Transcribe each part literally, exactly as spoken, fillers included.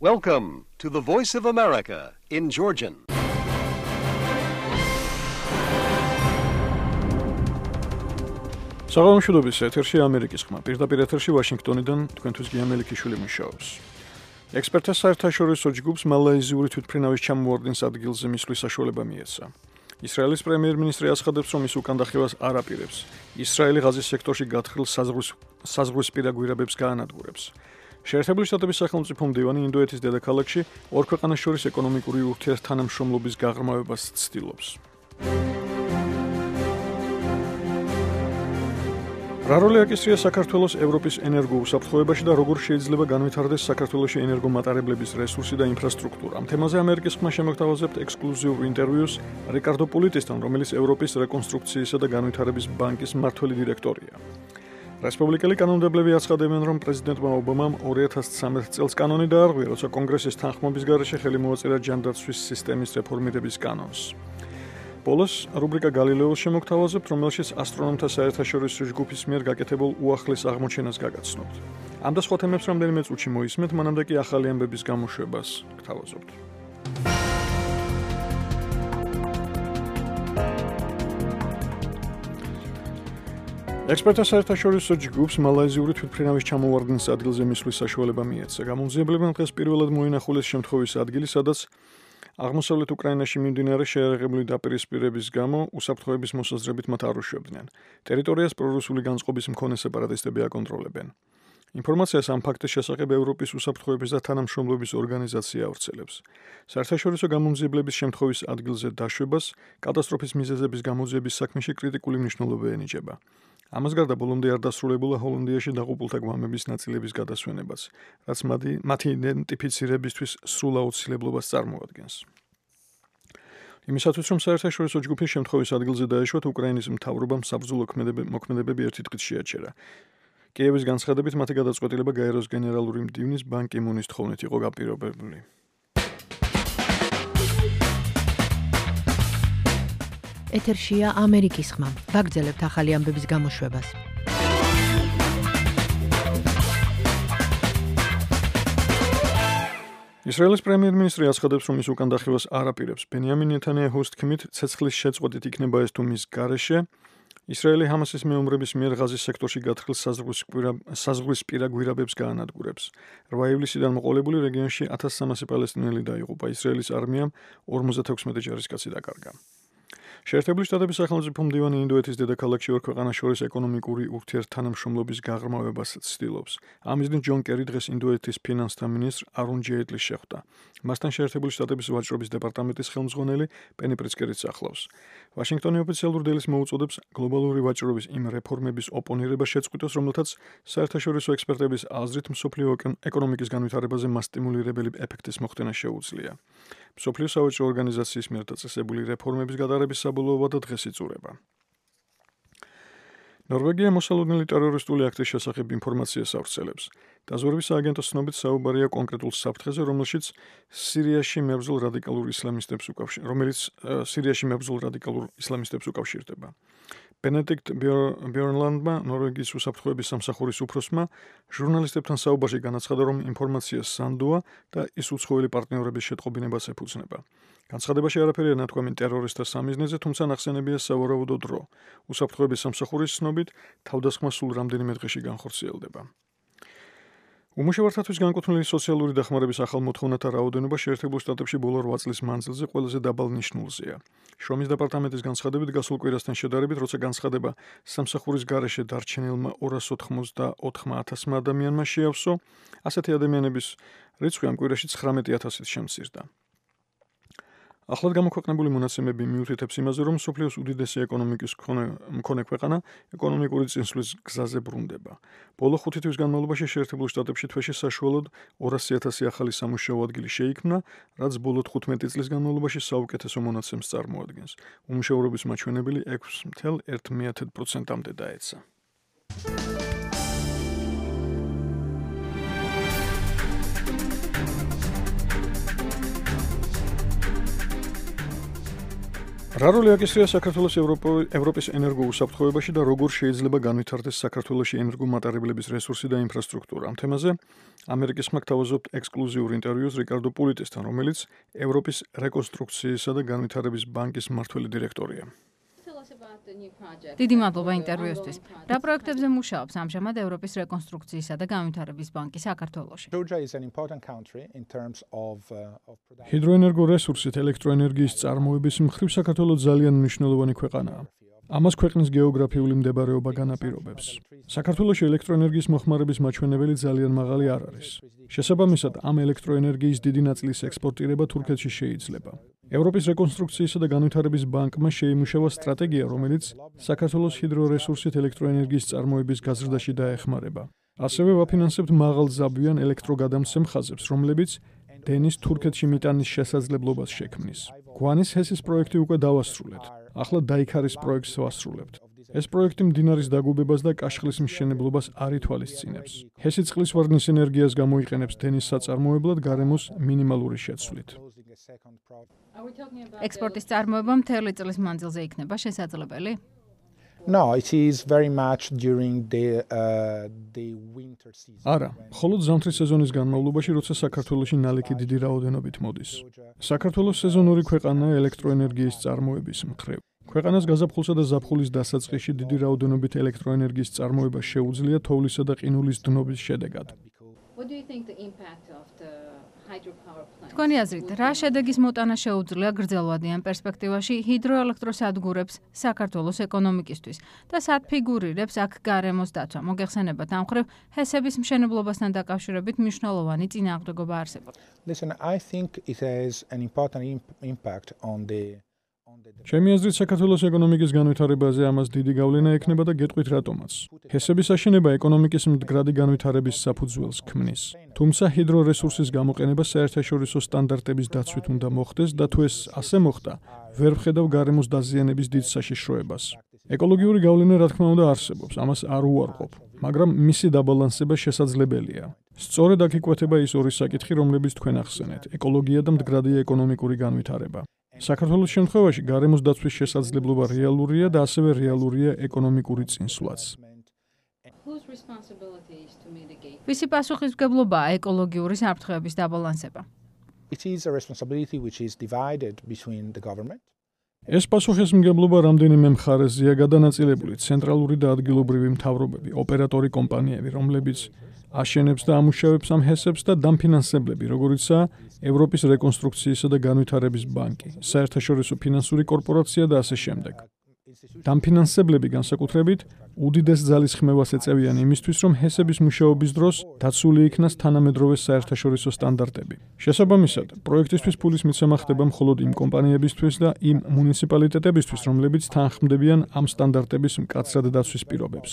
Welcome to the Voice of America in Georgian. საღამოშუდობის ეთერში ამერიკის ხმა. პირდაპირ ეთერში ვაშინგტონიდან თქვენთვის გია მელიქიშვილი მუშაობს. ექსპერტთა საერთაშორისო ჯგუფს მალაიზიური თვითმფრინავის ჩამოვარდნის ადგილზე მისვლის საშუალება მიეცა. ისრაელის პრემიერ-მინისტრი აცხადებს, რომ ის უკანდახევას არ აპირებს. ისრაელი ღაზის სექტორში გათხრილ საზღვრისპირა გვირაბებს გაანადგურებს. შეერთებული შტატების სახელმწიფო მდივანი ინდოეთის დედაქალაქში ორ ქვეყანას შორის ეკონომიკური ურთიერთთანამშრომლობის გაღრმავებას ცდილობს. რა როლი აკისრია საქართველოს ევროპის ენერგოუსაფრთხოებაში და როგორ შეიძლება განვითარდეს საქართველოში ენერგომატარებლების რესურსი და ინფრასტრუქტურა. ამ თემაზე ამერიკის ხმა შემოგთავაზებთ ექსკლუზიურ ინტერვიუს რიკარდო პოლიტისთან, რომელიც ევროპის რეკონსტრუქციისა და განვითარების ბანკის მმართველი დირექტორია. რესპუბლიკელი კანონმდებლები აცხადებენ, რომ პრეზიდენტმა ობამამ ორი ათას ცხრამეტ წელს კანონი დაარღვია, როცა კონგრესის თანხმობის გარეშე ხელი მოაწერა ჯანდაცვის სისტემის რეფორმირების კანონს. ბოლოს რუბრიკა გალილეოს შემოგთავაზებთ, რომელშიც ასტრონომთა საერთაშორისო ჯგუფის მიერ გაკეთებულ უახლეს აღმოჩენას გაგაცნობთ. ამ და სხვა თემებს რამდენიმე წუთში მოისმენთ, მანამდე კი ახალი ამბების გამოშვებას გთავაზობთ. ექსპერტთა საერთაშორისო ჯგუფს მალაიზიური თვითმფრინავის ჩამოვარდნის ადგილზე მისვლის საშუალება მიეცა. გამომძიებლებმა დღეს პირველად მოინახულეს შემთხვევის ადგილი, სადაც აღმოსავლეთ უკრაინაში მიმდინარე შეერაღებული დაპირისპირების გამო უსაფრთხოების მოსაზრებით მათ არ უშვებდნენ. ტერიტორიას პრორუსული განწყობის მქონე სეპარატისტები აკონტროლებენ. ინფორმაციას ამ ფაქტის შესახებ ევროპის უსაფრთხოების და თანამშრომლობის ორგანიზაცია ავრცელებს. საერთაშორისო გამომძიებლების შემთხვევის ადგილზე დაშვებას კატასტროფის მიზეზების გამოძიების საქმეში კრიტიკული მნიშვნელობა ენიჭება. ამას გარდა ბოლომდე არ დასრულებულა ჰოლანდიაში დაღუპულთა გვამების ნაწილების გადასვენებაც, რაც მათი იდენტიფიცირებისთვის სრულ აუცილებლობას წარმოადგენს. იმისათვის, რომ საერთაშორისო ჯგუფი შემთხვევის ადგილზე დაეშვათ, უკრაინის მთავრობამ საბრძოლო მოქმედებები ერთი დღით შეაჩერა. კიევის განცხადებით, მათი გადაწყვეტილება გაეროს გენერალური მდივნის ბან კი მუნის თხოვნით იყო გაპირობებული. ეთერშია ამერიკის ხმა. ვაგრძელებთ ახალი ამბების გამოშვებას. ისრაელის პრემიერ-მინისტრი აცხადებს, რომ ის უკანდახევას არ აპირებს. ბენიამინ ნეთანიაჰუს თქმით, ცეცხლის შეწყვეტით იქნება ეს თუ მის გარეშე. ისრაელი ჰამასის მეომრების მიერ ღაზის სექტორში გათხრილ საზღვრისპირა გვირაბებს გაანადგურებს. რვა ივლისიდან მოყოლებული რეგიონში ათას სამასი პალესტინელი დაიღუპა. ისრაელის არმიამ ორმოცდათექვსმეტი ჯარისკაცი დაკარგა. შეერთებული შტატების სახელმწიფო მდივანი ინდოეთის დედაქალაქში ორ ქვეყანას შორის ეკონომიკური ურთიერთთანამშრომლობის გაღრმავებას ცდილობს. ამ მიზნით ჯონ კერი დღეს ინდოეთის ფინანსთა მინისტრ არუნ ჯეიტლის შეხვდა. მასთან შეერთებული შტატების ვაჭრობის დეპარტამენტის ხელმძღვანელი პენი პრიცკერიც ახლავს. ვაშინგტონი ოფიციალურ დილის მოუწოდებს გლობალური ვაჭრობის იმ რეფორმების ოპონირებას შეწყვიტოს, რომელთაც საერთაშორისო ექსპერტების აზრით მსოფლიო ეკონომიკის განვითარებაზე მასტიმულირებელი ეფექტის მოხდენა შეუძლია. მსოფლიო სავაჭრო ორგანიზაციის მიერ დაწესებული რეფორმების გადაღების საბოლოო ვადა დღეს იწურება. ნორვეგია მოსალოდნელი ტერორისტული აქტის შესახებ ინფორმაციას ავრცელებს. დაზვერვის სააგენტოს ცნობით საუბარია კონკრეტულ საფრთხეზე, რომელშიც სირიაში მებრძოლ რადიკალურ ისლამისტებს უკავშირდება, რომელიც სირიაში მებრძოლ რადიკალურ ისლამისტებს უკავშირდება. ბენედიქტ ბიორნლანდმა, ნორვეგიის უსაფრთხოების სამსახურის უფროსმა, ჟურნალისტებთან საუბარში განაცხადა, რომ ინფორმაცია სანდოა და ის უცხოელი პარტნიორების შეტყობინებას ეფუძნება. განცხადებაში არაფერია ნათქვამი ტერორისტთა სამიზნეზე, თუმცა ნახსენებია სავარაუდო დრო. უსაფრთხოების სამსახურის ცნობით, თავდასხმა სულ რამდენიმე დღეში განხორციელდება. უმუშევართათვის განკუთვნილი სოციალური დახმარების ახალ მოთხოვნათა რაოდენობა შეერთებულ შტატებში ბოლო რვა წლის მანძილზე ყველაზე დაბალ ნიშნულზეა. შრომის დეპარტამენტის განცხადებით გასულ კვირასთან შედარებით, როცა განცხადება სამსახურის გარეშე დარჩენილმა ორას ოცდაოთხ ათასმა ადამიანმა შეავსო, ასეთი ადამიანების რიცხვი ამ კვირაში ცხრამეტი ათასით შემცირდა. ახლად გამოქვეყნებული მონაცემები მიუთითებს იმაზე, რომ მსოფლიოს უდიდესი ეკონომიკის მქონე ქვეყანა ეკონომიკური წინსვლის გზაზე ბრუნდება. ბოლო ხუთი თვის განმავლობაში შეერთებულ შტატებში თვეში საშუალოდ ორასი ათასი ახალი სამუშაო ადგილი შეიქმნა, რაც ბოლო თხუთმეტი წლის განმავლობაში საუკეთესო მონაცემს წარმოადგენს. უმუშევრობის მაჩვენებელი ექვსი целых ერთი десятых პროცენტამდე დაეცა. რა როლი აკისრია საქართველოს ევროპის ენერგოუსაფრთხოებაში და როგორ შეიძლება განვითარდეს საქართველოში ენერგომატარებლების რესურსი და ინფრასტრუქტურა? ამ თემაზე ამერიკის ხმა გთავაზობთ ექსკლუზიურ ინტერვიუს რიკარდო პულიტესთან, რომელიც ევროპის რეკონსტრუქციისა და განვითარების ბანკის მმართველი დირექტორია. დიდი მადლობა ინტერვიუსთვის. რა პროექტებზე მუშაობს ამჟამად ევროპის რეკონსტრუქციისა და განვითარების ბანკი საქართველოში? ჰიდროენერგო რესურსით ელექტროენერგიის წარმოების მხრივ საქართველო ძალიან მნიშვნელოვანი ქვეყანაა. ამას ქვეყნის გეოგრაფიული მდებარეობა განაპირობებს. საქართველოში ელექტროენერგიის მოხმარების მაჩვენებელი ძალიან მაღალი არ არის. შესაბამისად, ამ ელექტროენერგიის დიდი ნაწილის ექსპორტირება თურქეთში შეიძლება. ევროპის რეკონსტრუქციისა და განვითარების ბანკმა შეიმუშავა სტრატეგია, რომელიც საქართველოს ჰიდრორესურსით ელექტროენერგიის წარმოების გაზრდაში დაეხმარება. ასევე ვაფინანსებთ მაღალძაბვიან ელექტროგადამცემ ხაზებს, რომლებიც დენის თურქეთში მიტანის შესაძლებლობას შექმნის. გვანის ჰესის პროექტი უკვე დავასრულეთ. ახლა დაიქარის პროექტს ვასრულებთ. ეს პროექტი მდინარის დაგუბებას და კაშხლის მშენებლობას არ ითვალისწინებს. ჰესი წყლის ვარდნის ენერგიას გამოიყენებს დენის საწარმოებლად გარემოს მინიმალური შეცვლით. ექსპორტის წარმოება მთელი წლის მანძილზე იქნება შესაძლებელი? No, it is very much during the uh, the winter season. არა, მხოლოდ ზამთრის სეზონის განმავლობაში, როცა საქართველოში ნალექი დიდი რაოდენობით მოდის. საქართველოს სეზონური ქვეყანაა ელექტროენერგიის წარმოების მხრივ. ქვეყანას გაზაფხულსა და ზაფხულის დასაწყისში დიდი რაოდენობით ელექტროენერგიის წარმოება შეუძლია თოვლისა და ყინულის დნობის შედეგად. თქვენი აზრით, რა შედეგის მოტანა შეუძლია გრძელვადიან პერსპექტივაში ჰიდროელექტროსადგურებს საქართველოს ეკონომიკისთვის და სად ფიგურირებს აქ გარემოს დაცვა? მოგეხსენებათ ამ მხრივ ჰესების მშენებლობასთან დაკავშირებით მნიშვნელოვანი წინააღმდეგობა არსებობს. Listen, I think it has an important impact on the ჩემი აზრით, საქართველოს ეკონომიკის განვითარებაზე ამას დიდი გავლენა ექნება და გეტყვით რატომაც. ჰესების აშენება ეკონომიკის მდგრადი განვითარების საფუძველს ქმნის. თუმცა ჰიდრორესურსის გამოყენება საერთაშორისო სტანდარტების დაცვით უნდა მოხდეს და თუ ეს ასე მოხდა, ვერ ვხედავ გარემოს დაზიანების დიდ საშიშროებას. ეკოლოგიური გავლენა რა თქმა უნდა არსებობს, ამას არ უარყოფ, მაგრამ მისი დაბალანსება შესაძლებელია. სწორედ აქ იკვეთება ის ორი საკითხი, რომლებიც თქვენ ახსენეთ: ეკოლოგია და მდგრადი ეკონომიკური განვითარება. საქართველოს შემთხვევაში გარემოს დაცვის შესაძლებლობა რეალურია და ასევე რეალურია ეკონომიკური წინსვლაც. ვისი პასუხისმგებლობაა ეკოლოგიური საფრთხეების დაბალანსება? It is a responsibility which is divided between the government. ეს პასუხისმგებლობა რამდენიმე მხარეზეა გადანაწილებული: ცენტრალური და ადგილობრივი მთავრობები, ოპერატორი კომპანიები, რომლებიც აშენებს და ამუშავებს ამ ჰესებს და დამფინანსებლები, როგორიცაა ევროპის რეკონსტრუქციისა და განვითარების ბანკი, საერთაშორისო ფინანსური კორპორაცია და ასე შემდეგ. დამფინანსებლები განსაკუთრებით უდიდეს ძალისხმევას ეწევიან იმისთვის, რომ ჰესების მუშაობის დროს დაცული იქნას თანამედროვე საერთაშორისო სტანდარტები. შესაბამისად, პროექტისთვის ფულის მიცემა ხდება მხოლოდ იმ კომპანიებისთვის და იმ მუნიციპალიტეტებისთვის, რომლებიც თანხმდებიან ამ სტანდარტების მკაცრად დაცვის პირობებს.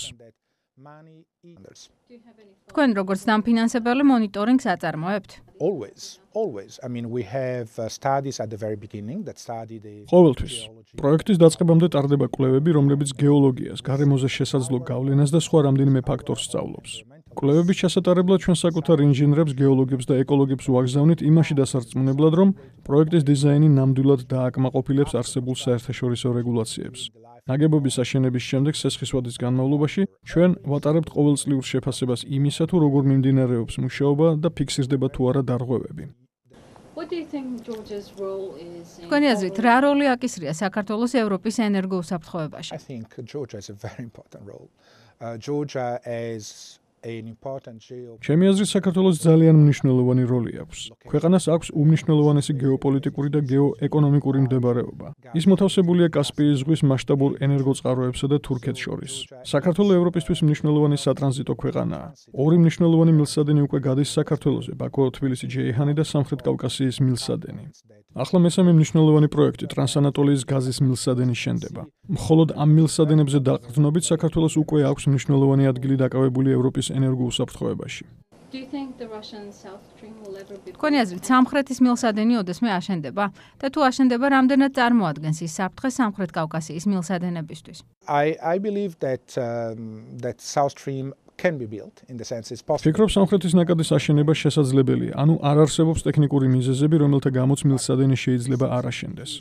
თქვენ როგორც დამფინანსებელი მონიტორინგს აწარმოებთ? Always, always. I mean, we have uh, studies at the very beginning that study the ყოველთვის პროექტის დაწყებამდე ტარდება კვლევები, რომლებიც გეოლოგიას, გარემოზე შესაძლო გავლენას და სხვა რამდენიმე ფაქტორს სწავლობს. კვლევების ჩასატარებლად ჩვენ საკუთარ ინჟინერებს, გეოლოგებს და ეკოლოგებს ვაგზავნით იმაში დასარწმუნებლად, რომ პროექტის დიზაინი ნამდვილად დააკმაყოფილებს არსებულ საერთაშორისო რეგულაციებს. ნაგებობის აშენების შემდეგ სესხის ვადის განმავლობაში ჩვენ ვატარებთ ყოველწლიურ შეფასებას იმისა, თუ როგორ მიმდინარეობს მუშაობა და ფიქსირდება თუ არა დარღვევები. თქვენი აზრით, რა როლი აკისრია საქართველოს ევროპის ენერგოუსაფრთხოებაში? I think Georgia has a very important role. Uh, Georgia has an important geo ჩემი აზრით, საქართველოს ძალიან მნიშვნელოვანი როლი აქვს. ქვეყანას აქვს უმნიშვნელოვანესი გეოპოლიტიკური და გეოეკონომიკური მდებარეობა. ის მოთავსებულია კასპიის ზღვის მასშტაბურ ენერგოწყაროებსა და თურქეთს შორის. საქართველო ევროპისთვის მნიშვნელოვანი სატრანზიტო ქვეყანაა. ორი მნიშვნელოვანი მილსადენი უკვე გადის საქართველოზე: ბაქო, თბილისი, ჯეიჰანი და სამხრეთ კავკასიის მილსადენი. ახლა მესამე მნიშვნელოვანი პროექტი ტრანსანატოლიის გაზის მილსადენი შენდება. მხოლოდ ამ მილსადენებზე დაყრდნობით საქართველოს უკვე აქვს მნიშვნელოვანი ადგილი დაკავებული ევროპის ენერგოუსაფრთხოებაში. თქვენი აზრით, სამხრეთის მილსადენი ოდესმე აშენდება და თუ აშენდება, რამდენად წარმოადგენს ის საფრთხე სამხრეთ კავკასიის მილსადენებისთვის? I I believe that um, that South Stream can be built in the sense it's possible. ფიქრობ სამხრეთის ნაკადის აშენება შესაძლებელია, ანუ არ არსებობს ტექნიკური მიზეზები, რომელთა გამოც მილსადენი შეიძლება არ აშენდეს.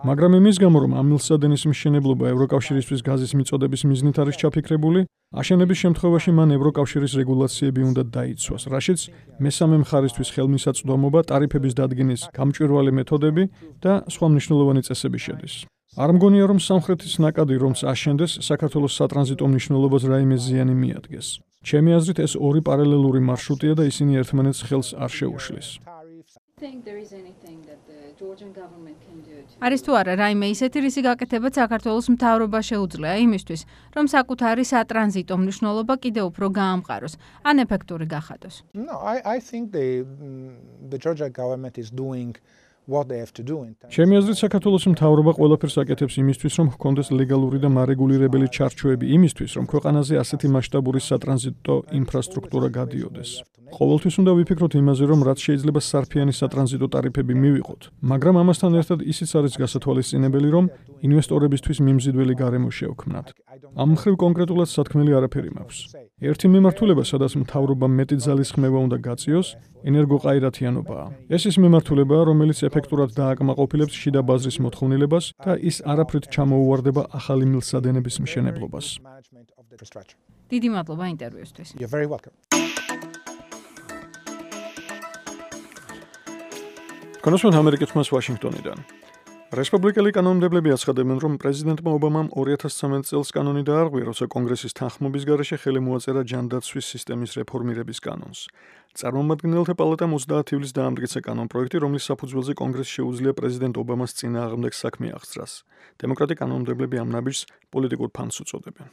მაგრამ იმის გამო, რომ ამ მილსადენის მშენებლობა ევროკავშირისთვის გაზის მიწოდების მიზნით არის ჩაფიქრებული, აშენების შემთხვევაში მან ევროკავშირის რეგულაციები უნდა დაიცვას, რაშიც მესამე მხარისთვის ხელმისაწვდომობა, ტარიფების დადგენის გამჭვირვალე მეთოდები და სხვა მნიშვნელოვანი წესები შედის. არ მგონია, რომ სამხრეთის ნაკადი რომც აშენდეს, საქართველოს სატრანზიტო მნიშვნელობას რაიმე ზიანი მიადგეს. ჩემი აზრით, ეს ორი პარალელური მარშრუტია და ისინი ერთმანეთს ხელს არ შეუშლის. არის თუ არა რაიმე ისეთი რისი გაკეთებაც საქართველოს მთავრობას შეუძლია იმისთვის, რომ საკუთარი სატრანზიტო მნიშვნელობა კიდევ უფრო გაამყაროს, ან ეფექტური გახადოს. No, I I think the the Georgia government is doing what they have to do. ჩემი აზრით, საქართველოს მთავრობა ყველაფერს აკეთებს იმისთვის, რომ ჰქონდეს ლეგალური და მარეგულირებელი ჩარჩოები იმისთვის, რომ ქვეყანაზე ასეთი მასშტაბური სატრანზიტო ინფრასტრუქტურა გადიოდეს. ყოველთვის უნდა ვიფიქროთ იმაზე, რომ რაც შეიძლება სარფიანი სატრანზიტო ტარიფები მივიღოთ, მაგრამ ამასთან ერთად ისიც არის გასათვალისწინებელი, რომ ინვესტორებისთვის მიმზიდველი გარემო შევქმნათ. ამ მხრივ კონკრეტულად სათქმელი არაფერი მაქვს. ერთი მიმართულება, სადაც მთავრობა მეტი ძალისხმევა უნდა გაწიოს, ენერგოყაირათიანობაა. ეს ის მიმართულებაა, რომელიც ეფექტურად დააკმაყოფილებს შიდა ბაზრის მოთხოვნილებას და ის არაფრით ჩამოუვარდება ახალი მილსადენების მშენებლობას. დიდი მადლობა ინტერვიუსთვის. You're very welcome. კონსულტანტ ამერიკის ხმას ვაშინგტონიდან. რესპუბლიკელი კანონმდებლები აცხადებენ, რომ პრეზიდენტმა ობამამ ორი ათას ცხრამეტ წელს კანონი დაარღვია, როცა კონგრესის თანხმობის გარეშე ხელი მოაწერა ჯანდაცვის სისტემის რეფორმირების კანონს. წარმომადგენელთა პალატამ ოცდაათი ივლისს დაამტკიცა კანონპროექტი, რომლის საფუძველზე კონგრესს შეუძლია პრეზიდენტ ობამას წინააღმდეგ საქმე აღძრას. დემოკრატი კანონმდებლები ამ ნაბიჯს პოლიტიკურ ფანს უწოდებენ.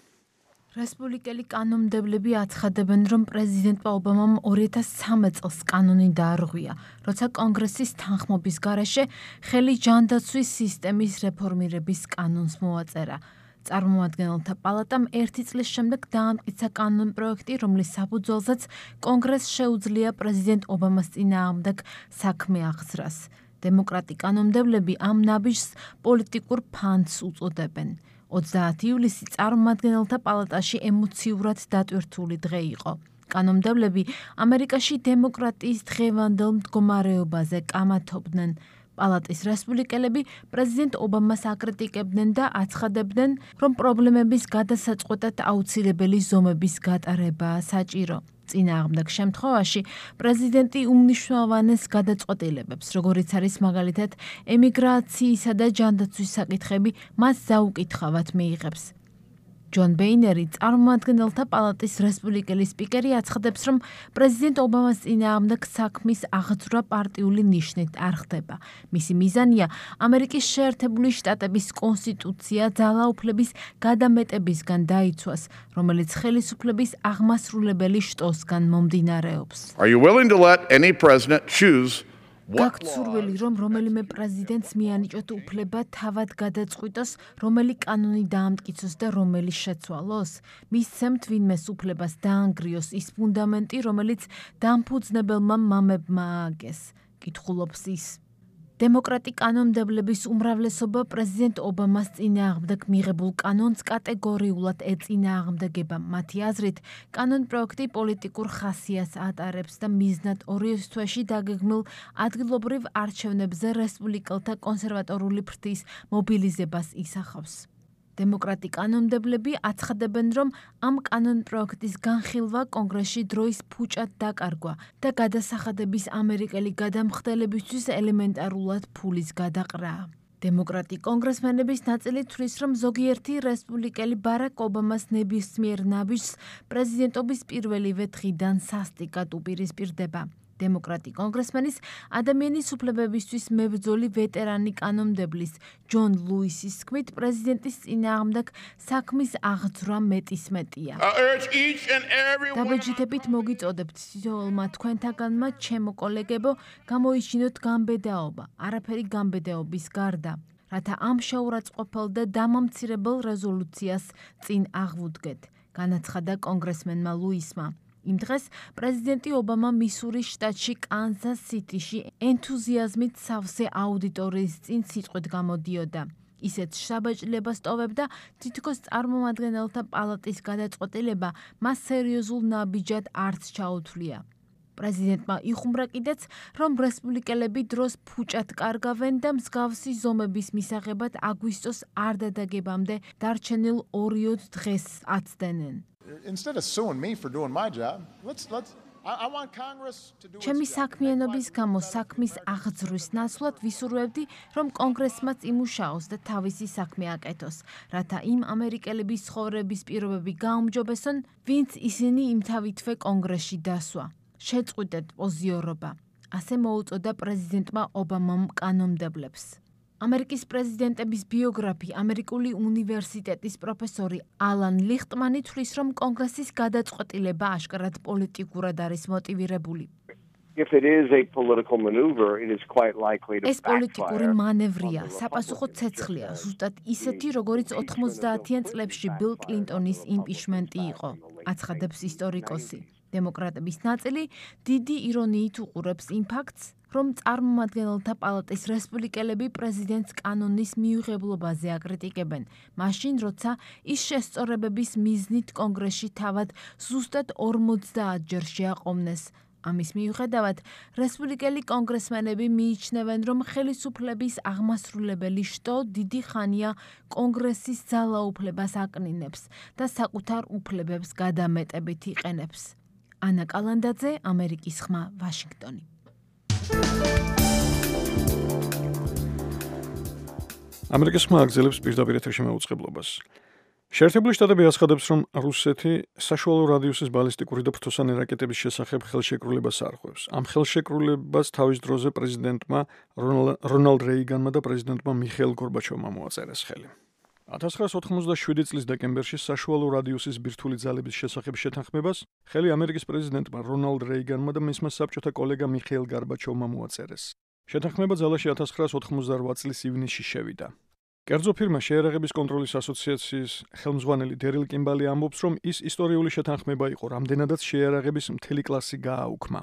რესპუბლიკელი კანონმდებლები აცხადებენ, რომ პრეზიდენტმა ობამამ ორი ათას ცხრამეტ წელს კანონი დაარღვია, როცა კონგრესის თანხმობის გარეშე ხელი ჯანდაცვის სისტემის რეფორმირების კანონს მოაწერა. წარმომადგენელთა პალატამ ერთი წლის შემდეგ დაამტკიცა კანონპროექტი, რომლის საფუძველზეც კონგრესს შეუძლია პრეზიდენტ ობამას წინააღმდეგ საქმე აღძრას. დემოკრატი კანონმდებლები ამ ნაბიჯს პოლიტიკურ ფანს უწოდებენ. ოცდაათი ივლისი წარმომადგენელთა პალატაში ემოციურად დატვირთული დღე იყო. კანონმდებლები ამერიკაში დემოკრატიის დღევანდელ მდგომარეობაზე კამათობდნენ. პალატის რესპუბლიკელები პრეზიდენტ ობამას აკრიტიკებდნენ და აცხადებდნენ, რომ პრობლემების გადასაწყვეტად აუცილებელი ზომების გატარებაა საჭირო. წინააღმდეგ შემთხვევაში პრეზიდენტი უმნიშვნელოვანეს გადაწყვეტილებებს, როგორიც არის მაგალითად ემიგრაციისა და ჯანდაცვის საკითხები, მას საუკითხავად მიიღებს. ჯონ ბეინერი, წარმომადგენელთა პალატის რესპუბლიკელი სპიკერი, აცხადებს, რომ პრეზიდენტ ობამას წინააღმდეგ საქმის აღძვრა პარტიული ნიშნით არ ხდება. მისი მიზანია ამერიკის შეერთებული შტატების კონსტიტუცია ძალაუფლების გადამეტებისგან დაიცვას, რომელიც ხელისუფლების აღმასრულებელი შტოსგან მომდინარეობს. Are you willing to let any president choose გაქვთ სურვილი, რომ რომელიმე პრეზიდენტს მიანიჭოთ უფლება თავად გადაწყვიტოს, რომელი კანონი დაამტკიცოს და რომელი შეცვალოს? მისცემთ ვინმეს უფლებას დაანგრიოს ის ფუნდამენტი, რომელიც დამფუძნებელმა მამებმა ააგეს. კითხულობს ის. დემოკრატი კანონმდებლების უმრავლესობა პრეზიდენტ ობამას წინააღმდეგ მიღებულ კანონს კატეგორიულად ეწინააღმდეგება. მათი აზრით, კანონპროექტი პოლიტიკურ ხასიათს ატარებს და მიზნად ორი თვეში დაგეგმილ ადგილობრივ არჩევნებზე რესპუბლიკელთა კონსერვატორული ფრთის მობილიზებას ისახავს. დემოკრატი კანონმდებლები აცხადებენ, რომ ამ კანონპროექტის განხილვა კონგრესში დროის ფუჭად დაკარგვა და გადასახადების ამერიკელი გადამხდელებისთვის ელემენტარულად ფულის გადაყრაა. დემოკრატი კონგრესმენების ნაწილი თვლის, რომ ზოგიერთი რესპუბლიკელი ბარაკ ობამას ნებისმიერ ნაბიჯს პრეზიდენტობის პირველივე დღიდან სასტიკად უპირისპირდება. დემოკრატი კონგრესმენის ადამიანის უფლებებისთვის მებრძოლი ვეტერანი კანონმდებლის ჯონ ლუისის თქმით, პრეზიდენტის წინააღმდეგ საქმის აღძვრა მეტისმეტია. დაბეჭდებით მოგიწოდებთ თითოეულმა თქვენთაგანმა, ჩემო კოლეგებო, გამოიჩინოთ გამბედაობა, არაფერი გამბედაობის გარდა, რათა ამ შეურაცხყოფელ და დამამცირებელ რეზოლუციას წინ აღვუდგეთ, განაცხადა კონგრესმენმა ლუისმა. იმ დღეს პრეზიდენტი ობამა მისურის შტატში კანზას სიტიში ენთუზიაზმით სავსე აუდიტორიის წინ სიტყვით გამოდიოდა. ისეთ შაბაჭლებას ტოვებდა, თითქოს წარმომადგენელთა პალატის გადაწყვეტილება მას სერიოზულ ნაბიჯად არც ჩაუთვლია. პრეზიდენტმა იხუმრა კიდეც, რომ რესპუბლიკელები დროს ფუჭად კარგავენ და მსგავსი ზომების მისაღებად აგვისტოს არ დადაგებამდე დარჩენილ ორიოდ დღეს აცდენენ. Instead of suing me for doing my job, let's let's I, I want Congress to do its ჩემი job. საქმიანობის გამო საქმის აღძრვის ნაცვლად ვისურვებდი, რომ კონგრესმაც იმუშაოს და თავისი საქმე აკეთოს, რათა იმ ამერიკელების ცხოვრების პირობები გაუმჯობესონ, ვინც ისინი იმთავითვე კონგრესში დასვა. შეწყვიტეთ პოზიორობა, ასე მოუწოდა პრეზიდენტმა ობამამ კანონმდებლებს. ამერიკის პრეზიდენტების ბიოგრაფი, ამერიკული უნივერსიტეტის პროფესორი ალან ლიხტმანი თვლის, რომ კონგრესის გადაწყვეტილება აშკარად პოლიტიკურად არის მოტივირებული. If it is a political maneuver, it is quite likely to ეს პოლიტიკური მანევრია, საპასუხო ცეცხლია, ზუსტად ისეთი, როგორც ოთხმოცდაათიან წლებში ბილ კლინტონის იმპიჩმენტი იყო, აცხადებს ისტორიკოსი. დემოკრატების ნაწილი დიდი ირონიით უყურებს იმ ფაქტს, რომ წარმომადგენელთა პალატის რესპუბლიკელები პრეზიდენტს კანონის მიუღებლობაზე აკრიტიკებენ, მაშინ როცა ის შესწორებების მიზნით კონგრესში თავად ზუსტად ორმოცდაათ ჯერ შეაყოვნეს. ამის მიუხედავად, რესპუბლიკელი კონგრესმენები მიიჩნევენ, რომ ხელისუფლების აღმასრულებელი შტო დიდი ხანია კონგრესის ძალაუფლებას აკნინებს და საკუთარ უფლებებს გადამეტებით იყენებს. ანა კალანდაძე, ამერიკის ხმა, ვაშინგტონი. ამერიკის ხმა აგზელებს პირდაპირ ეთერში მეუწყებლობას. შეერთებული შტატები აცხადებს, რომ რუსეთი საშუალო რადიუსის ბალისტიკური და ფრთოსანი რაკეტების შესახებ ხელშეკრულებას არღვევს. ამ ხელშეკრულებას თავის დროზე პრეზიდენტმა რონალდ რეიგანმა და პრეზიდენტმა მიხეილ გორბაჩოვმა მოაწერეს ხელი. ათას ცხრაასი ოთხმოცდაშვიდი წლის დეკემბერში საშუალო რადიუსის ბირთვული ძალების შესახებ შეთანხმებას ხელი ამერიკის პრეზიდენტმა რონალდ რეიგანმა და მისმა საბჭოთა კოლეგა მიხეილ გორბაჩოვმა მოაწერეს. შეთანხმება ძალაში ათას ცხრაასი ოთხმოცდარვዓ წლის ივნისში შევიდა. კერძო ფირმა შეერაღების კონტროლის ასოციაციის ხელმძღვანელი დერილ კიმბალი ამბობს, რომ ის ისტორიული შეთანხმება იყო, რამდენადაც შეერაღების მთელი კლასი გააუქმა.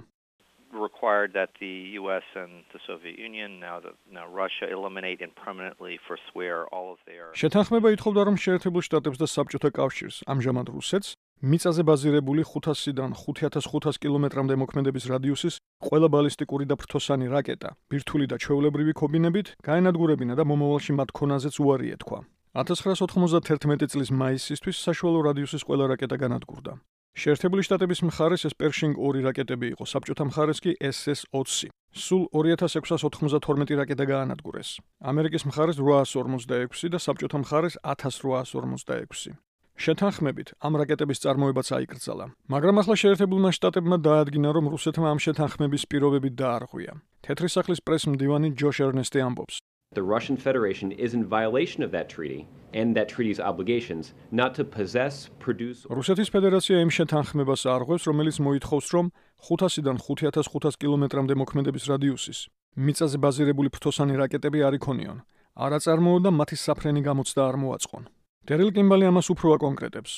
required that the U S and the Soviet Union, now the now Russia, eliminate and permanently forswear all of their. შეთანხმება ითხოვდა, რომ შეერთებულ შტატებს და საბჭოთა კავშირს, ამჟამად რუსეთს, მიწაზე ბაზირებული ხუთასიდან ხუთი ათას ხუთას კილომეტრამდე მოქმედების რადიუსის ყველა ბალისტიკური და ფრთოსანი რაკეტა, ბირთვული და ჩვეულებრივი ქობინებით გაენადგურებინა და მომავალში მათ ქონაზეც უარი ეთქვა. ათას ცხრაასი ოთხმოცდათერთმეტი წლის მაისისთვის საშუალო რადიუსის ყველა რაკეტა განადგურდა. შეერთებული შტატების მხარეს ეს პერშინგ ორი რაკეტები იყო, საბჭოთა მხარეს კი ეს ეს ოცი. სულ ორი ათას ექვსასი ოთხმოცდათორმეტი რაკეტა გაანადგურეს. ამერიკის მხარეს რვაასი ორმოცდაექვსი და საბჭოთა მხარეს ათას რვაასი ორმოცდაექვსი. შეთანხმებით ამ რაკეტების წარმოებაც აიკრძალა, მაგრამ ახლა შეერთებულმა შტატებმა დაადგინა, რომ რუსეთმა ამ შეთანხმების პირობებით დაარღვია. თეთრი სახლის პრეს-მდივანი ჯოშ ერნესტი ამბობს. The Russian Federation is in violation of that treaty and that treaty's obligations not to possess, produce. რუსეთის ფედერაცია იმ შეთანხმებას არღვევს, რომელიც მოითხოვს, რომ ხუთასიდან ხუთი ათას ხუთას კილომეტრამდე მოქმედების რადიუსის მიწაზე ბაზირებული ფრთოსანი რაკეტები არ იქონიონ, არ აწარმოო და მათი საფრენი გამოცდა არ მოაწყონ. დერილ კიმბალი ამას უფრო აკონკრეტებს.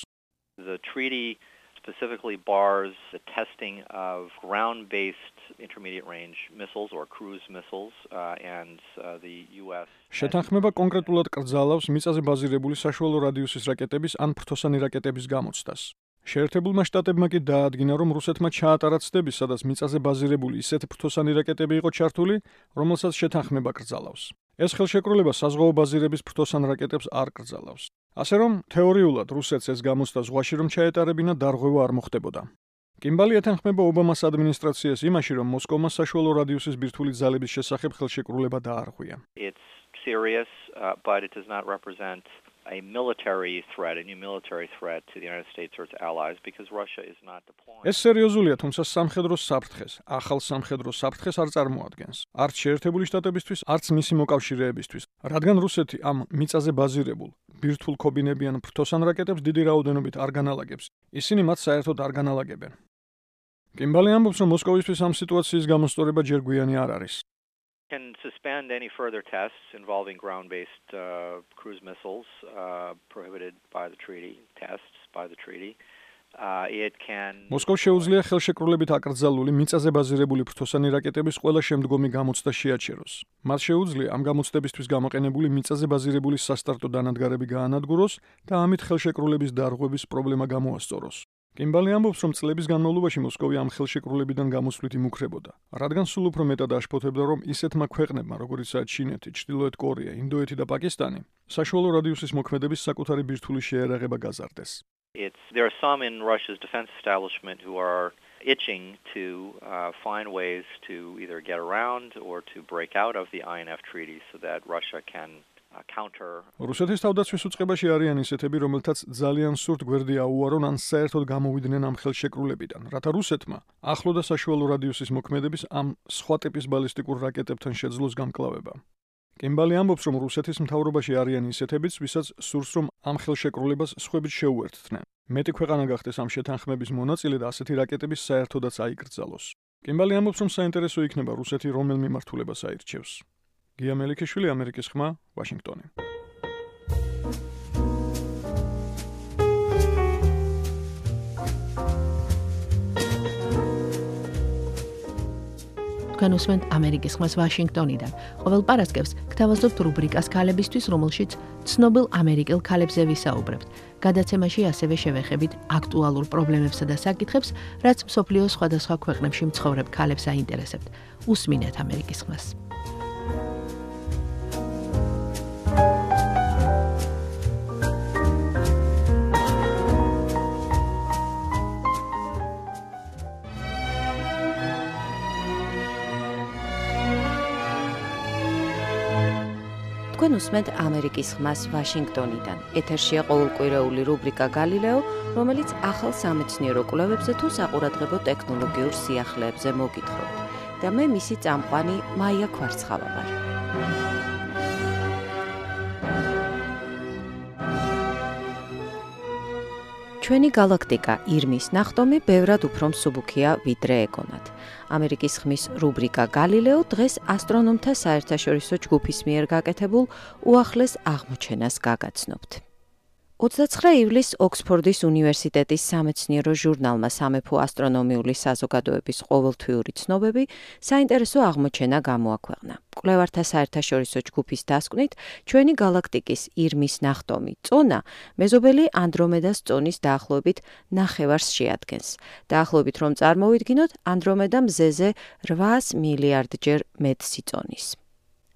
The treaty specifically bars the testing of ground-based intermediate range missiles or cruise missiles uh, and uh, the U S. შეთანხმება კონკრეტულად კრძალავს მიწაზე ბაზირებული საშუალო რადიუსის რაკეტების ან ფრთოსანი რაკეტების გამოცდას. შეერთებულმა შტატებმა კი დაადგინა, რომ რუსეთმა ჩაატარა ცდები, სადაც მიწაზე ბაზირებული ისეთი ფრთოსანი რაკეტები იყო ჩართული, რომელსაც შეთანხმება კრძალავს. ეს ხელშეკრულება საზღვაო ბაზირების ფრთოსან რაკეტებს არ კრძალავს. ასე რომ, თეორიულად რუსეთს ეს გამოცდა ზღვაში რომ ჩაეტარებინა, დარღვევა არ მოხდებოდა. კიმბალი ეთანხმება ობამას ადმინისტრაციას იმაში, რომ მოსკოვმა საშუალო რადიუსის ბირთვული ძალების შესახებ ხელშეკრულება დაარღვია. It's serious, uh, but it does not represent a military threat, a new military threat to the United States or its allies because Russia is not deploying. ეს სერიოზულია, თუმცა სამხედრო საფრთხეს, ახალ სამხედრო საფრთხეს არ წარმოადგენს. არც შეერთებული შტატებისთვის, არც მისი მოკავშირეებისთვის, რადგან რუსეთი ამ მიწაზე ბაზირებულ ბირთვულ ქობინებიან ფრთოსან რაკეტებს დიდი რაოდენობით არ განალაგებს. ისინი მათ საერთოდ არ განალაგებენ. კიმბალი ამბობს, რომ მოსკოვისთვის ამ სიტუაციის გამოსწორება ჯერ გვიანი არ არის. Can suspend any further tests involving ground-based uh, cruise missiles uh, prohibited by the treaty, tests by the treaty, Uh, it can მოსკოვს შეუძლია ხელშეკრულებით აკრძალული მიწაზე ბაზირებული ფრთოსანი რაკეტების ყველა შემდგომი გამოცდა შეაჩეროს. მას შეუძლია ამ გამოცდებისთვის გამოყენებული მიწაზე ბაზირებული სასტარტო დანადგარები გაანადგუროს და ამით ხელშეკრულების დარღვევის პრობლემა გამოასწოროს. კიმბალი ამბობს, რომ წლების განმავლობაში მოსკოვი ამ ხელშეკრულებიდან გამოსვლით იმუქრებოდა, რადგან სულ უფრო მეტად აშფოთებდა, რომ ისეთმა ქვეყნებმა, როგორიცაა ჩინეთი, ჩრდილოეთ კორეა, ინდოეთი და პაკისტანი, საშუალო რადიუსის მოქმედების საკუთარი ბირთვული შეერაღება გაზარდეს. It's, there are some in Russia's defense establishment who are itching to uh, find ways to either get around or to break out of the I N F treaty so that Russia can uh, counter. რუსეთის თავდაცვის უწყებაში არიან ისეთები, რომელთაც ძალიან სურთ გვერდი აუარონ ან საერთოდ გამოვიდნენ ამ ხელშეკრულებიდან, რათა რუსეთმა ახლო და საშუალო რადიუსის მოქმედების ამ სხვა ტიპის ბალისტიკურ რაკეტებთან შეძლოს გამკლავება. კიმბალი ამბობს, რომ რუსეთის მთავრობაში არიან ისეთებიც, ვისაც სურს, რომ ამ ხელშეკრულებას სხვებით შეუერთდნენ. მეტი ქვეყანა გახდეს ამ შეთანხმების მონაწილე და ასეთი რაკეტების საერთოდაც აიკრძალოს. კიმბალი ამბობს, რომ საინტერესო იქნება რუსეთი რომელ მიმართულებას აირჩევს. გია მელიქიშვილი, ამერიკის ხმა, ვაშინგტონი. თქვენ უსმენთ ამერიკის ხმას ვაშინგტონიდან. ყოველ პარასკევს გთავაზობთ რუბრიკას ქალებისთვის, რომელშიც ცნობილ ამერიკელ ქალებზე ვისაუბრებთ. გადაცემაში ასევე შევეხებით აქტუალურ პრობლემებსა და საკითხებს, რაც მსოფლიოს სხვადასხვა ქვეყნებში მცხოვრებ ქალებს აინტერესებთ. უსმინეთ ამერიკის ხმას. თქვენ უსმენთ ამერიკის ხმას ვაშინგტონიდან. ეთერშია ყოველკვირეული რუბრიკა გალილეო, რომელიც ახალ სამეცნიერო კვლევებზე თუ საყურადღებო ტექნოლოგიურ სიახლეებზე მოგითხრობთ. და მე მისი წამყვანი მაია ქვარცხავა ვარ. ჩვენი galaktika ირმის ნახტომი ბევრად უფრო მსუბუქია ვიდრე ეგონათ. ამერიკის ხმის რუბრიკა გალილეო დღეს ასტრონომთა საერთაშორისო ჯგუფის მიერ გაკეთებულ უახლეს აღმოჩენას გაგაცნობთ. ოცდაცხრე ივლისს ოქსფორდის უნივერსიტეტის სამეცნიერო ჟურნალმა სამეფო ასტრონომიული საზოგადოების ყოველთვიური ცნობები საინტერესო აღმოჩენა გამოაქვეყნა. კვლევართა საერთაშორისო ჯგუფის დასკვნით, ჩვენი galaktikis ირმის ნახტომი წონა მეზობელი ანდრომედას წონის დაახლოებით ნახევარს შეადგენს. დაახლოებით რომ წარმოვიდგინოთ, ანდრომედა მზეზე რვაას მილიარდჯერ მეტსი წონის.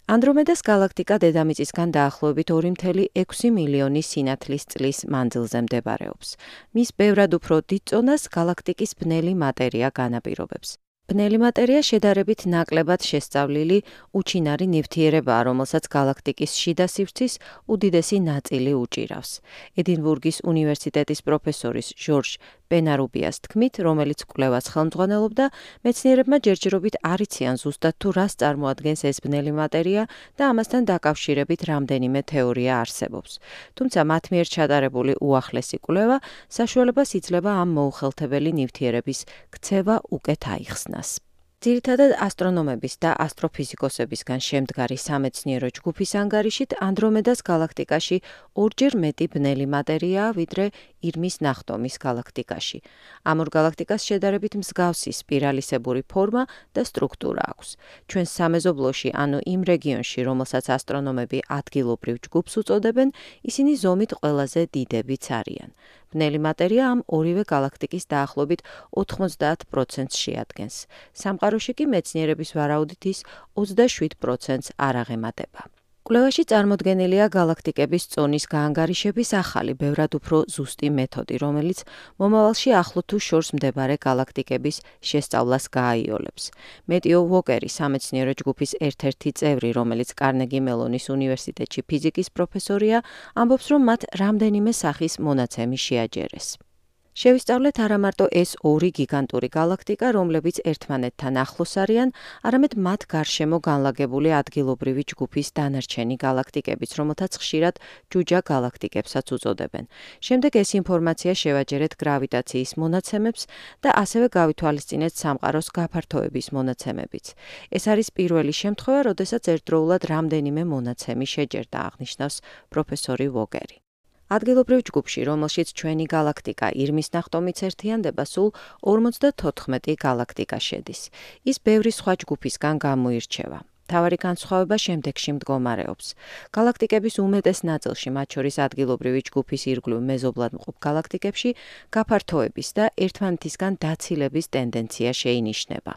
ანდრომედას galaktika დედამიწისგან დაახლოებით ორი მცდელო ექვსი მილიონი სინათლის წლის მანძილზე მდებარეობს. მის ბევრად უფრო დიდ წონას galaktikis ბნელი მატერია განაპირობებს. ბნელი მატერია შედარებით ნაკლებად შესწავლილი უჩინარი ნივთიერებაა, რომელსაც galaktikis შიდა სივრცის უდიდესი ნაწილი უჭირავს. ედინბურგის უნივერსიტეტის პროფესორის ჟორჟ პენარუბიას თქმით, რომელიც კვლევას ხელმძღვანელობდა, მეცნიერებმა ჯერჯერობით არ იციან ზუსტად თუ რას წარმოადგენს ეს ბნელი მატერია და ამასთან დაკავშირებით რამდენიმე თეორია არსებობს. თუმცა მათ მიერ ჩატარებული უახლესი კვლევა საშუალებას იძლევა ამ მოუხელთებელი ნივთიერების ქცევა უკეთ აიხსნას. ძირითადად ასტრონომების და ასტროფიზიკოსებისგან შემდგარი სამეცნიერო ჯგუფის ანგარიშით ანდრომედას galaktikაში ორჯერ მეტი ბნელი მატერიაა, ვიდრე ირმის ნახტომის galaktikაში. ამ ორ galaktikas შედარებით მსგავსი სპირალისებური ფორმა და სტრუქტურა აქვს. ჩვენ სამეზობლოში, ანუ იმ რეგიონში, რომელსაც ასტრონომები ადგილობრივ ჯგუფს უწოდებენ, ისინი ზომით ყველაზე დიდებიც არიან. ბნელი მატერია ამ ორივე galaktikis დაახლოებით ოთხმოცდაათ პროცენტს შეადგენს. სამყაროში კი მეცნიერების ვარაუდით ის ოცდაშვიდ პროცენტს არ აღემატება. კვლევაში წარმოდგენილია galaktikების წონის გაანგარიშების ახალი, ბევრად უფრო ზუსტი მეთოდი, რომელიც მომავალში ახლო თუ შორს მდებარე galaktikების შესწავლას გააიოლებს. მეტიო ვოკერი, სამეცნიერო ჯგუფის ერთ-ერთი წევრი, რომელიც კარნეგი მელონის უნივერსიტეტში ფიზიკის პროფესორია, ამბობს, რომ მათ რამდენიმე სახის მონაცემი შეაჯერეს. შევისწავლეთ არა მარტო ეს ორი გიგანტური galaktika, რომლებიც ერთმანეთთან ახლოს არიან, არამედ მათ გარშემო განლაგებული ადგილობრივი ჯგუფის დანარჩენი galaktikებიც, რომელთაც ხშირად ჯუჯა galaktikებსაც უწოდებენ. შემდეგ ეს ინფორმაცია შევაჯერეთ გრავიტაციის მონაცემებს და ასევე გავითვალისწინეთ სამყაროს გაფართოების მონაცემებიც. ეს არის პირველი შემთხვევა, როდესაც ერთდროულად რამდენიმე მონაცემი შეჯერდა, აღნიშნავს პროფესორი ვოგერი. ადგილობრივ ჯგუფში, რომელშიც ჩვენი galaktika ირმის ნახტომიც ერთიანდება, სულ ორმოცდათოთხმეტი galaktika შედის. ის ბევრი სხვა ჯგუფისგან გამოირჩევა. თავარი განსხვავება შემდეგში მდგომარეობს. galaktikების უმეტეს ნაწილში, მათ შორის ადგილობრივი ჯგუფის ირგვლივ მეზობლად მყოფ galaktikებში, გაფართოების და ერთმანეთისგან დაცილების ტენდენცია შეინიშნება.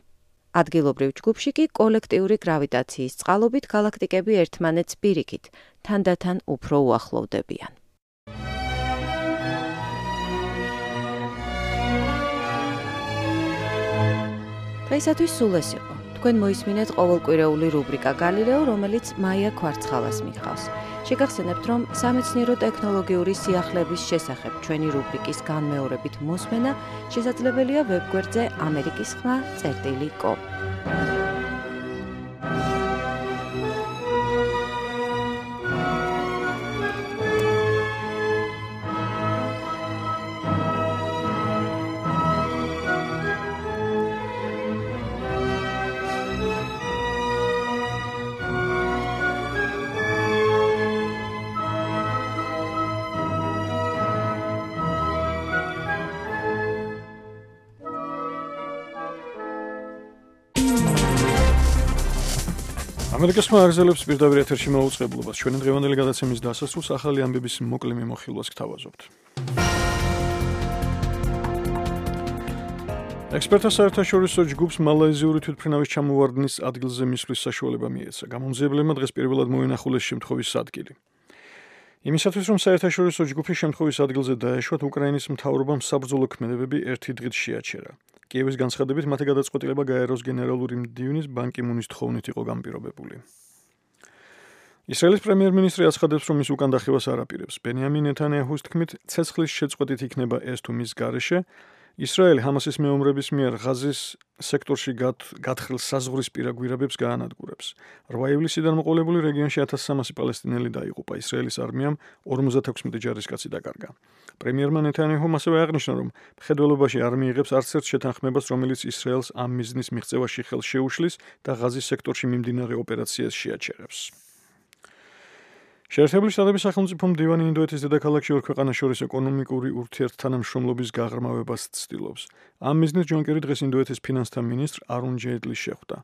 ადგილობრივ ჯგუფში კი კოლექტიური გრავიტაციის წყალობით galaktikები ერთმანეთს პირიქით, თანდათან უფრო უახლოვდებიან. დღეისათვის სულ ეს იყო. თქვენ მოისმინეთ ყოველკვირეული რუბრიკა Galileo, რომელიც მაია ქვარცხალას მიხავს. შეგახსენებთ, რომ სამეცნიერო ტექნოლოგიური სიახლეების შესახებ ჩვენი რუბრიკის განმეორებით მოსმენა შესაძლებელია ვებგვერდზე ამერიკის ხმა წერტილი კომ. ამერიკის ხმა აგრძელებს პირდაპირ ეთერში მოუწყებლობას. ჩვენი დღევანდელი გადაცემის დასასრულს ახალი ამბების მოკლე მიმოხილვას გთავაზობთ. ექსპერტთა საერთაშორისო ჯგუფს მალაიზიური თვითმფრინავის ჩამოვარდნის ადგილზე მისვლის საშუალება მიეცა. გამომძიებლებმა დღეს პირველად მოინახულეს შემთხვევის ადგილი. იმისათვის, რომ საერთაშორისო ჯგუფი შემთხვევის ადგილზე დაეშვათ, უკრაინის მთავრობამ საბრძოლო ქმედებები ერთი დღით შეაჩერა. კიევის განცხადებით, მათი გადაწყვეტილება გაეროს გენერალური მდივნის ბან კი მუნის თხოვნით იყო განპირობებული. ისრაელის პრემიერ-მინისტრი აცხადებს, რომ ის უკან დახევას არ აპირებს. ბენიამინ ნეთანიაჰუს თქმით, ცეცხლის შეწყვეტით იქნება ეს თუ მის გარეშე. ისრაელი ჰამასის მეომრების მიერ ღაზის სექტორში გათხრილ საზღვრისპირა გვირაბებს გაანადგურებს. რვა ივლისიდან მოყოლებული რეგიონში ათას სამასი პალესტინელი დაიღუპა. ისრაელის არმიამ ორმოცდათექვსმეტი ჯარისკაცი დაკარგა. პრემიერმა ნეთანიაჰუმ ასევე აღნიშნა, რომ მხედველობაში არ მიიღებს არც ერთ შეთანხმებას, რომელიც ისრაელს ამ მიზნის მიღწევაში ხელს შეუშლის და ღაზის სექტორში მიმდინარე ოპერაციას შეაჩერებს. შეერთებული შტატების სახელმწიფო მდივანი ინდოეთის დედაქალაქში ორ ქვეყანას შორის ეკონომიკური ურთიერთთანამშრომლობის გაღრმავებას ცდილობს. ამ მიზნით ჯონ კერი დღეს ინდოეთის ფინანსთა მინისტრ არუნ ჯეიტლის შეხვდა.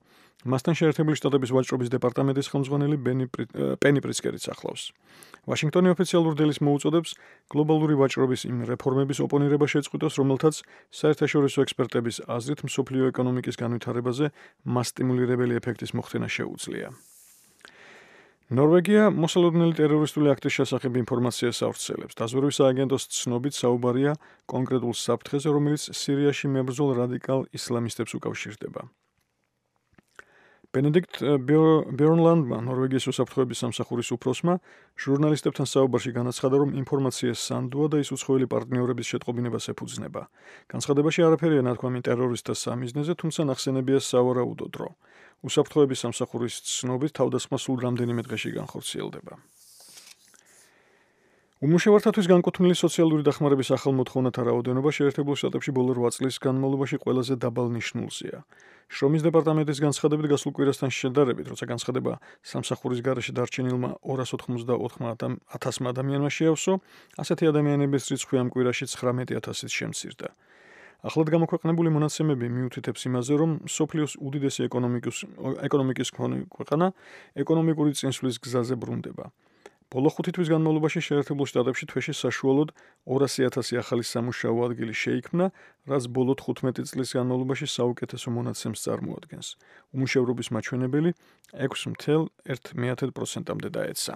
მასთან შეერთებული შტატების ვაჭრობის დეპარტამენტის ხელმძღვანელი პენი პრიცკერიც ახლავს. ვაშინგტონი ოფიციალურ დილის მოუწოდებს გლობალური ვაჭრობის იმ რეფორმების ოპონირება შეწყვიტოს, რომელთაც საერთაშორისო ექსპერტების აზრით მსოფლიო ეკონომიკის განვითარებაზე მასტიმულირებელი ეფექტის მოხდენა შეუძლია. ნორვეგია მოსალოდნელი ტერორისტული აქტის შესახებ ინფორმაციას ავრცელებს. დაზვერვის სააგენტოს ცნობით საუბარია კონკრეტულ საფრთხეზე, რომელიც სირიაში მებრძოლ რადიკალ ისლამისტებს უკავშირდება. ბენედიქტ ბერნლანდმა, ნორვეგიის უსაფრთხოების სამსახურის უფროსმა, ჟურნალისტებთან საუბარში განაცხადა, რომ ინფორმაცია სანდოა და ის უცხოელი პარტნიორების შეტყობინებას ეფუძნება. განცხადებაში არაფერია ნათქვამი ტერორისტთა სამიზნეზე, თუმცა ნახსენებია სავარაუდო დრო. უსაფრთხოების სამსახურის ცნობით თავდასხმა სულ რამდენიმე დღეში განხორციელდება. უმუშევართათვის განკუთვნილი სოციალური დახმარების ახალ მოთხოვნათა რაოდენობა შეერთებულ შტატებში ბოლო რვა წლის განმავლობაში ყველაზე დაბალ ნიშნულზეა. შრომის დეპარტამენტის განცხადებით გასულ კვირასთან შედარებით, როცა განცხადება სამსახურის გარეშე დარჩენილმა ორას ოცდაოთხ ათასმა ადამიანმა შეავსო, ასეთი ადამიანების რიცხვი ამ კვირაში ცხრამეტი ათასით შემცირდა. ახლად გამოქვეყნებული მონაცემები მიუთითებს იმაზე, რომ სოფლიოს უდიდესი ეკონომიკის ქვეყანა ეკონომიკური წინსვლის გზაზე ბრუნდება. ბოლო ხუთი თვის განმავლობაში შეერთებულ შტატებში თვეში საშუალოდ ორასი ათასი ახალი სამუშაო ადგილი შეიქმნა, რაც ბოლო თხუთმეტი წლის განმავლობაში საუკეთესო მონაცემს წარმოადგენს. უმუშევრობის მაჩვენებელი ექვსი целых ერთი პროცენტამდე დაეცა.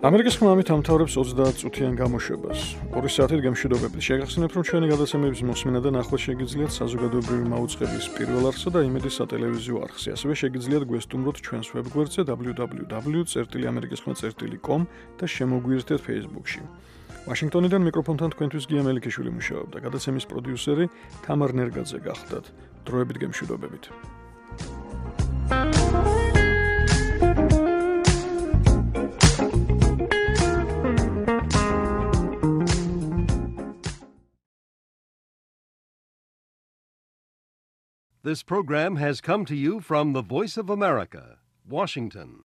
ამერიკის ხმა ამით ამთავრებს ოცდაათ წუთიან გამოშვებას. ორი საათით გემშვიდობებით. შეგახსენებთ, რომ ჩვენი გადაცემების მოსმენა და ნახვა შეგიძლიათ საზოგადოებრივი მაუწყებლის პირველ არხსა და იმედის სატელევიზიო არხზე. ასევე შეგიძლიათ გვესტუმროთ ჩვენს ვებგვერდზე დაბლიუ დაბლიუ დაბლიუ წერტილი ამერიკის ხმა წერტილი კომ და შემოგვიერთდეთ Facebook-ში. ვაშინგტონიდან მიკროფონთან თქვენთვის გია მელიქიშვილი მუშაობდა. გადაცემის პროდიუსერი თამარ ნერგაძე გახლდათ. დროებით გემშვიდობებით. This program has come to you from the Voice of America, Washington.